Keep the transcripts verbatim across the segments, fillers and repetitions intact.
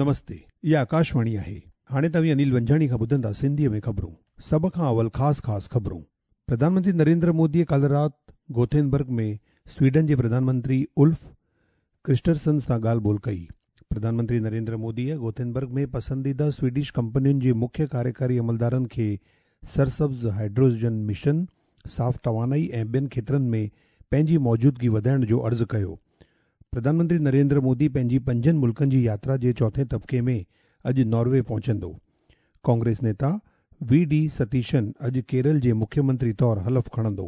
नमस्ते, इहा आकाशवाणी आहे। हाणे तव्हीं अनिल वंजाणी खां ॿुधंदा सिंधीअ में ख़बरूं। सभ खां अवल ख़ासि ख़ासि ख़बरूं। प्रधानमंत्री नरेंद्र मोदीअ काल्ह राति गोथेनबर्ग में स्वीडन जे प्रधानमंत्री उल्फ क्रिस्टरसन सां ॻाल्हि ॿोल कई। प्रधानमंत्री नरेंद्र मोदीअ गोथेनबर्ग में पसंदीदा स्वीडिश कंपनियुनि जे मुख्य कार्यकारी अमलदारनि खे सरसब्ज़ हाइड्रोजन मिशन, साफ़ तवानाई ऐं ॿियनि खेत्रनि में पंहिंजी मौजूदगी वधाइण जो अर्ज़ु कयो। प्रधानमंत्री नरेंद्र मोदी पंहिंजी पंजनि मुल्कनि जी यात्रा जे चोथें तबिके में अॼु नॉर्वे पहुचंदो। कांग्रेस नेता we D Satheesan अॼु केरल जे मुख्यमंत्री तौरु हलफ खणंदो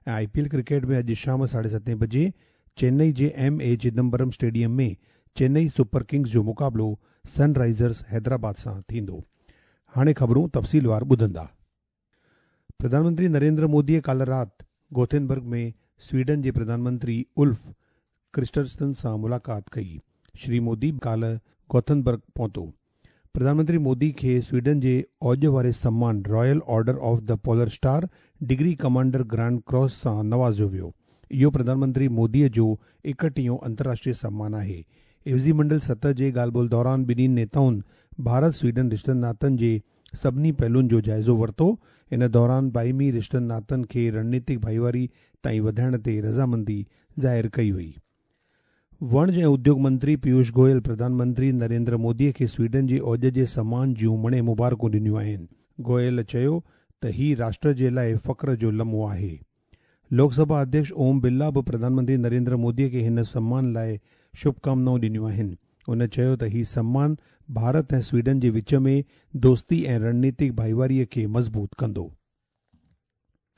ऐं I P L cricket में अॼु शाम साढे सतें बजे चेन्नई जे M A Chidambaram stadium में चेन्नई सुपर किंग्स जो मुक़ाबिलो सनराइज़र्स हैदराबाद सां थींदो। हाणे ख़बरूं तफ़सीलवार ॿुधंदा। प्रधानमंत्री नरेंद्र मोदीअ काल्ह राति गोथेनबर्ग में स्वीडन जे प्रधानमंत्री उल्फ क्रिस्टरसन सां मुलाक़ात कई। श्री मोदी काल्ह गोथेनबर्ग पहुतो। प्रधानमंत्री मोदी खे स्वीडन जे औज वारे सम्मान Royal Order of the Polar Star degree Commander Grand Cross सां नवाज़ियो वियो। इहो प्रधानमंत्री मोदीअ जो एकटीहों अंतर्राष्ट्रीय सम्मान आहे। एवज़ी मंडल सतह जे ॻाल्हि ॿोल दौरान ॿिन्ही नेताउनि भारत स्वीडन रिश्तनि नातनि जे सभिनी पहलुनि जो जाइज़ो वरितो। इन दौरान बाहिमी रिश्तनि नातनि खे रणनीतिक भाईवारी ताईं वधाइण ते रज़ामंदी ज़ाहिर कई वई। वणज ऐं उद्योग मंत्री पीयूष गोयल प्रधानमंत्री नरेंद्र मोदीअ खे स्वीडन जे औज जे सम्मान जूं मणे मुबारकूं ॾिनियूं आहिनि। गोयल चयो त ही राष्ट्र जे लाइ फ़ख्र जो लम्हो आहे। लोकसभा अध्यक्ष ओम बिरला बि प्रधानमंत्री नरेंद्र मोदीअ खे हिन सम्मान लाइ शुभकामनाऊं ॾिनियूं आहिनि। उन चयो त ही सम्मान भारत ऐं स्वीडन जे विच में दोस्ती ऐं रणनीतिक भाईवारीअ खे मज़बूत कंदो।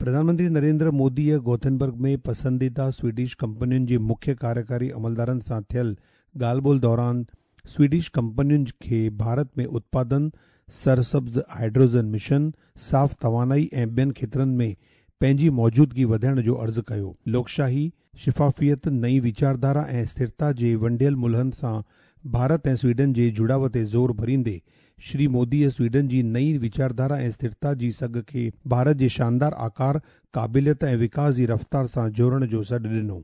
प्रधानमंत्री नरेंद्र मोदीअ गोथेनबर्ग में पसंदीदा स्वीडिश कंपनियुनि जे मुख्य कार्यकारी अमलदारनि सां थियल ॻाल्हि ॿोल दौरान स्वीडिश कंपनियुनि खे भारत में उत्पादन, सरसब्ज़ हाइड्रोजन मिशन, साफ़ तवानाई ऐं ॿियनि खेत्रनि में पंहिंजी मौजूदगी वधाइण जो अर्ज़ु कयो। लोकशाही, शिफ़ाफ़ियत, नई वीचारधारा ऐं स्थिरता जे वंडियल मुल्हनि सां भारत ऐं स्वीडन जे जुड़ाव ते ज़ोर भरींदे श्री मोदीअ स्वीडन जी नई वीचारधारा ऐं स्थिरता जी सघ खे भारत जे शानदार आकार, क़ाबिलियत ऐं विकास जी रफ़्तार सां जोड़ण जो सॾु ॾिनो।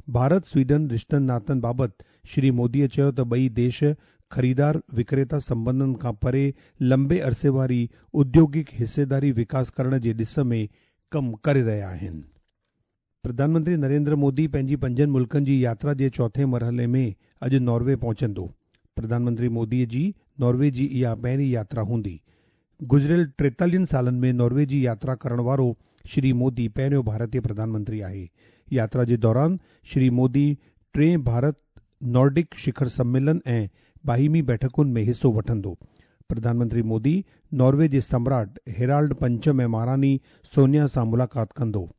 भारत स्वीडन रिश्तनि नातनि बाबति श्री मोदीअ चयो त ॿई देश ख़रीदार विक्रेता संबंधनि खां परे लंबे अरसे वारी उद्योगिक हिस्सेदारी विकास करण जे ॾिस में कमु करे रहिया आहिनि। प्रधानमंत्री नरेंद्र मोदी पंहिंजी पंजनि मुल्कनि जी यात्रा जे चोथें मरहले में अॼु नॉर्वे पहुचंदो। प्रधानमंत्री मोदीअ जी नॉर्वे जी इहा पहिरीं यात्रा हूंदी। गुज़िरियल टेतालीहनि सालनि में नॉर्वे जी यात्रा करण वारो श्री मोदी पहिरियों भारतीय प्रधानमंत्री आहे। यात्रा जे दौरान श्री मोदी टे भारत नॉर्डिक शिखर सम्मेलन ऐं बाहिमी बैठकुनि में हिसो वठंदो। प्रधानमंत्री मोदी नॉर्वे जे सम्राट हेराल्ड पंचम ऐं महारानी सोनिया सां मुलाक़ात कंदो।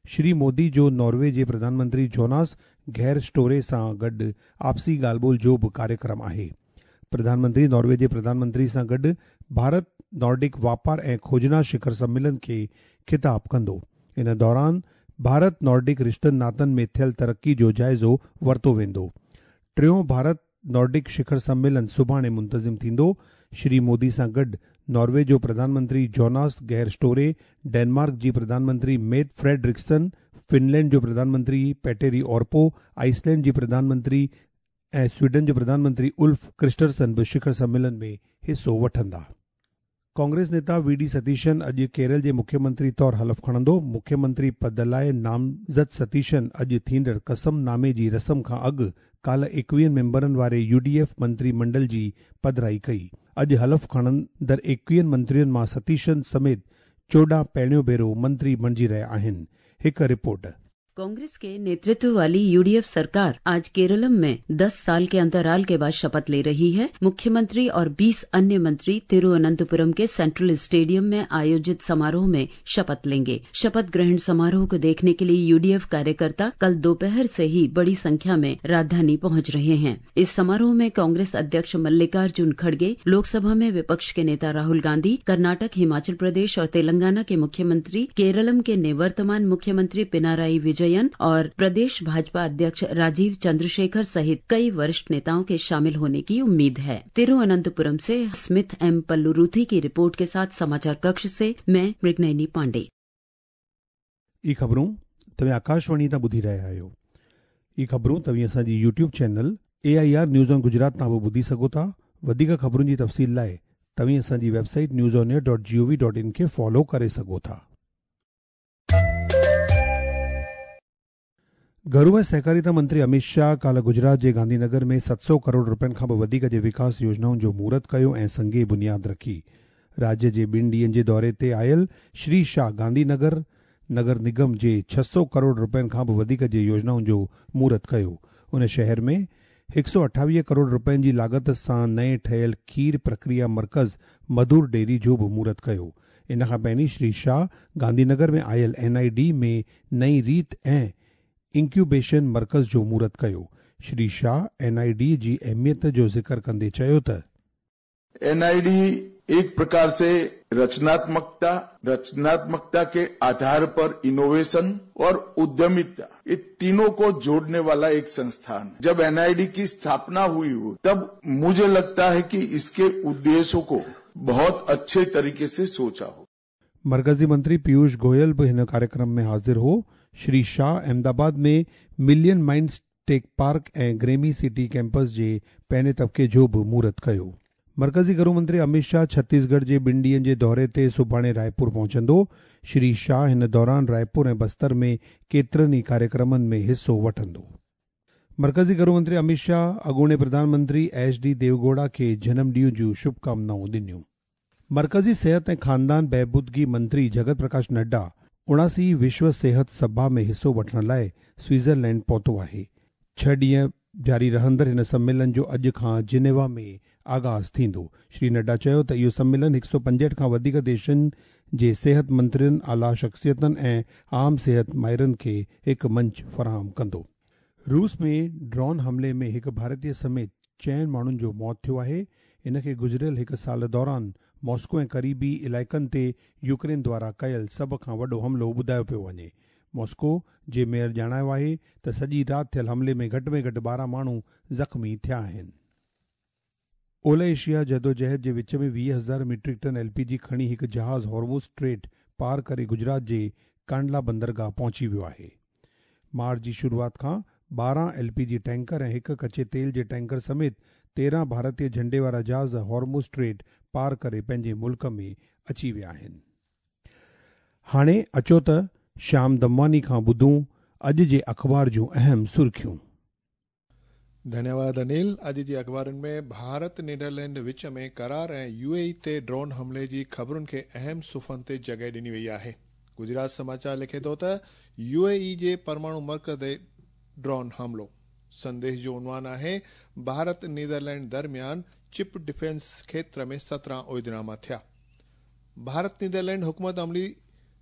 श्री मोदी जो नॉर्वे जे प्रधानमंत्री जोनास घेर स्टोरे सां गॾु आपसी ॻाल्हि ॿोल जो बि कार्यक्रम आहे। प्रधानमंत्री नॉर्वे जे प्रधानमंत्री सां गॾु भारत नॉर्डिक वापार ऐं खोजना शिखर सम्मेलन खे ख़िताब कंदो। इन दौरान भारत नॉर्डिक रिश्तनि नातनि में थियल तरक़ी जो जाइज़ो वरितो वेंदो। टियों भारत नॉर्डिक शिखर सम्मेलन सुभाणे मुंतज़िम थींदो। श्री मोदी सां गॾु नॉर्वे जो प्रधानमंत्री जोनास घेर स्टोरे, डेनमार्क जी प्रधानमंत्री मेट फ्रेडरिक्सन, फिनलैंड जो प्रधानमंत्री पेटेरी ओर्पो, आइसलैंड जी प्रधानमंत्री ऐं स्वीडन जो प्रधानमंत्री उल्फ क्रिस्टरसन बि शिखर सम्मेलन में हिसो वठंदा। कांग्रेस नेता we D Satheesan अॼु केरल जे मुख्यमंत्री तौरु हलफ खणंदो। मुख्यमंत्री पद लाइ नामज़द सतीशन अॼु थींदड़ कसम नामे जी रस्म खां अॻु काल्ह एकवीहनि मेंबरनि वारे यू डी एफ मंत्रीमंडल जी पधराई कई। अॼु हलफ खणंदड़ एकवीहनि मंत्रियुनि मां सतीशन समेत चोॾहं पहिरियों भेरो मंत्री बणिजी रहिया आहिनि। हिकु रिपोर्ट। कांग्रेस के नेतृत्व वाली यूडीएफ सरकार आज केरलम में दस साल के अंतराल के बाद शपथ ले रही है। मुख्यमंत्री और बीस अन्य मंत्री तिरुवनंतपुरम के सेंट्रल स्टेडियम में आयोजित समारोह में शपथ लेंगे। शपथ ग्रहण समारोह को देखने के लिए यूडीएफ कार्यकर्ता कल दोपहर से ही बड़ी संख्या में राजधानी पहुंच रहे हैं। इस समारोह में कांग्रेस अध्यक्ष मल्लिकार्जुन खड़गे, लोकसभा में विपक्ष के नेता राहुल गांधी, कर्नाटक, हिमाचल प्रदेश और तेलंगाना के मुख्यमंत्री, केरलम के निवर्तमान मुख्यमंत्री पिनाराई विजयन और प्रदेश भाजपा अध्यक्ष राजीव चंद्रशेखर सहित कई वरिष्ठ नेताओं के शामिल होने की उम्मीद है। तिरुवनंतपुरम से स्मिथ एम पल्लुरुथी की रिपोर्ट के साथ समाचार कक्ष से मैं मृगनयनी पांडे। ई ख़बरूं तव्हां आकाशवाणी तां ॿुधी रहिया आहियो। ई ख़बरूं तव्हां असांजी YouTube channel A I R news on Gujarat तां बि ॿुधी सघो था। वधीक ख़बरुनि जी तफ़सील लाइ तव्हीं असांजी website news on air dot G O V dot in खे फॉलो करे सघो था। घरू ऐं सहकारिता मंत्री अमित शाह काल्ह गुजरात जे गांधीनगर में सत सौ करोड़ रुपयनि खां बि वधीक जे विकास योजनाउनि जो मुहूर्त कयो ऐं संगे बुनियाद रखी। राज्य जे ॿिनि ॾींहनि जे दौरे ते आयल श्री शाह गांधीनगर नगर निगम जे छह सौ करोड़ रुपयनि खां बि वधीक जे योजनाउनि जो मुहूर्त कयो। उन शहर में हिकु सौ अठावीह करोड़ रुपयनि जी लागत सां नए ठहियल खीर प्रक्रिया मर्कज़ मधुर डेयरी जो बि मुहूर्त कयो। इन खां पहिरीं श्री शाह गांधीनगर में आयल एन I D में नई रीत ऐं इंक्यूबेशन मर्कज़ जो मुहूर्त कयो। Shri Shah N I D जी अहमियत जो ज़िक्र कंदे चयो त एन I D एक प्रकार से रचनात्मकता, रचनात्मकता के आधार पर इनोवेशन और उद्यमिता, ये तीनों को जोड़ने वाला एक संस्थान है। जब एन I D की स्थापना हुई हो तब मुझे लगता है कि इसके उद्देश्यों को बहुत अच्छे तरीके से सोचा हो। मरकजी मंत्री पीयूष गोयल भी हिन कार्यक्रम में हाजिर हो। श्री शाह अहमदाबाद में मिलियन माइंड्स टेक पार्क ऐं ग्रेमी सिटी कैंपस जे पहिरें तबके जो बि मुहूर्त कयो। मरकजी घरू मंत्री अमित शाह छत्तीसगढ़ जे ॿिनि ॾींहनि जे दौरे ते सुभाणे रायपुर पहुचंदो। श्री शाह हिन दौरान रायपुर ऐं बस्तर में केतिरनि ई कार्यक्रमनि में हिसो वठंदो। मरकजी घरू मंत्री अमित शाह अॻूणे प्रधानमंत्री एच डी देवगौड़ा खे जनम ॾींहं जूं शुभकामनाऊं ॾिनियूं। मरकजी सेहत ऐं ख़ानदान बहबूदगी मंत्री जगत प्रकाश नड्डा उणासी विश्व सेहत सभा में हिसो वठण लाइ स्विट्ज़रलैंड पहुतो आहे। छह ॾींहं जारी रहंदड़ हिन सम्मेलन जो अॼु खां जिनेवा में आगाज़ थींदो। श्री नड्डा चयो त इहो सम्मेलन हिकु सौ पंजहठि खां वधीक देशनि जे सेहत मंत्रियुनि, आला शख़्सियतुनि ऐं आम सेहत माहिरनि खे हिकु मंच फराहम कंदो। रूस में ड्रोन हमले में हिकु भारतीय समेत चइनि माण्हुनि जो मौत थियो आहे। इन खे गुज़िरियल हिकु साल दौरान मॉस्को ऐं करीबी इलाइक़नि ते यूक्रेन द्वारा कयल सभ खां वॾो हमलो ॿुधायो पियो वञे। मॉस्को जे मेयर ॼाणायो आहे त सॼी राति थियल हमले में घटि में घटि ॿारहं माण्हू ज़ख़्मी थिया आहिनि। ओलह एशिया जदोजहद जे विच में वीह हज़ार metric tonne L P G खणी हिकु जहाज़ हॉर्मुज़ स्ट्रेट पार करे गुजरात जे कांडला बंदरगाह पहुची वियो आहे। मार्च जी शुरूआत खां ॿारहं एल पी जी टैंकर ऐं हिकु कच्चे तेल जे टैंकर समेत तेरहं भारतीय झंडे वारा जहाज़ हॉर्मुज़ स्ट्रेट पार करे पंहिंजे मुल्क में अची विया आहिनि। हाणे अचो त श्याम दमवानी खां ॿुधूं अॼु जे अख़बार जूं अहम सुर्खियूं। धन्यवाद अनिल। अॼु जे अख़बारुनि में भारत नीदरलैंड विच में करार ऐं यू ए ई ते ड्रोन हमले जी ख़बरुनि खे अहम सुफ़नि ते जॻह ॾिनी वई आहे। गुजरात समाचार लिखे थो त यू ए ई जे परमाणु मर्कज़ ते ड्रोन हमलो। संदेश जो उन्वान आहे भारत नीदरलैंड दरमियान चिप डिफेंस क्षेत्र में सत्रहं उहिदनामा थिया। भारत नीदरलैंड हुकूमत अमली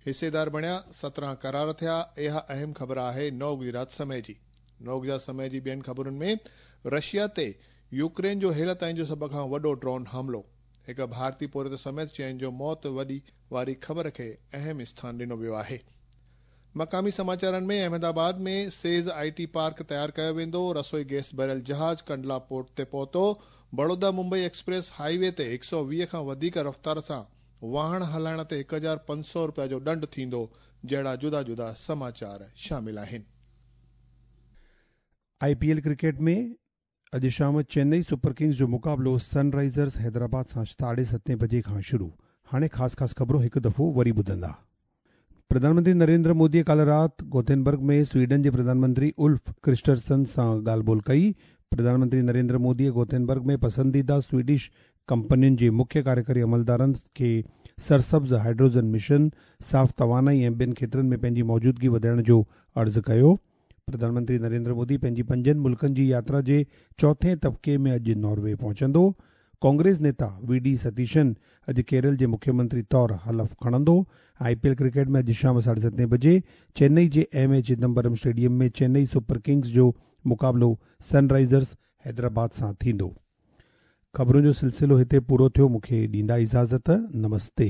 हिस्सेदार बणिया, सत्रहं करार थिया। इहा अहम ख़बर आहे नव गुजरात समय जी। नव गुजरात समय जी ॿियनि ख़बरुनि में रशिया ते यूक्रेन जो हेल ताईं जो सभ खां वॾो ड्रोन हमलो, हिकु भारतीय पोरियत समेत चइनि जो मौत वॾी वारी ख़बर खे अहम स्थान ॾिनो वियो आहे। मक़ामी समाचारनि में अहमदाबाद में सेज़ I T park तयारु कयो वेंदो। रसोई गैस भरियल जहाज़ कंडला पोर्ट ते पहुतो। बड़ौदा मुंबई एक्सप्रेस हाईवे ते हिकु सौ वीह खां वधीक रफ़्तार सां वाहन हलाइण ते हिकु हज़ार पंज सौ रुपया जो ॾंड थींदो। जहिड़ा जुदा जुदा समाचार शामिल आहिनि। I P L cricket में अॼु शाम चेन्नई सुपर किंग्स जो मुक़ाबिलो सनराइज़र्स हैदराबाद सां साढे सतें बजे खां शुरू। हाणे ख़ासि ख़ासि ख़बरूं हिकु दफ़ो वरी ॿुधंदा। प्रधानमंत्री नरेंद्र मोदीअ काल्ह राति गोथेनबर्ग में स्वीडन जे प्रधानमंत्री उल्फ क्रिस्टरसन सां ॻाल्हि ॿोल कई। प्रधानमंत्री नरेंद्र मोदीअ गोथेनबर्ग में पसंदीदा स्वीडिश कंपनियुनि जे मुख्य कार्यकारी अमलदारनि खे सरसब्ज़ हाइड्रोजन मिशन, साफ़ तवानाई ऐं ॿियनि क्षेत्रनि में पंहिंजी मौजूदगी वधाइण जो अर्ज़ु कयो। प्रधानमंत्री नरेंद्र मोदी पंहिंजी पंजनि मुल्कनि जी यात्रा जे चौथे तबके में अॼु नॉर्वे पहुचंदो। कांग्रेस नेता we D Satheesan अॼु केरल जे मुख्यमंत्री तौर हलफ खणंदो। I P L cricket में अॼु शाम साढे सतें बजे चेन्नई जे एम ए चिदम्बरम स्टेडियम में चेन्नई सुपर किंग्स जो मुक़ाबिलो सनराइज़र्स हैदराबाद सां थींदो। ख़बरुनि जो सिलसिलो हिते पूरो थियो। मूंखे ॾींदा इजाज़त। नमस्ते।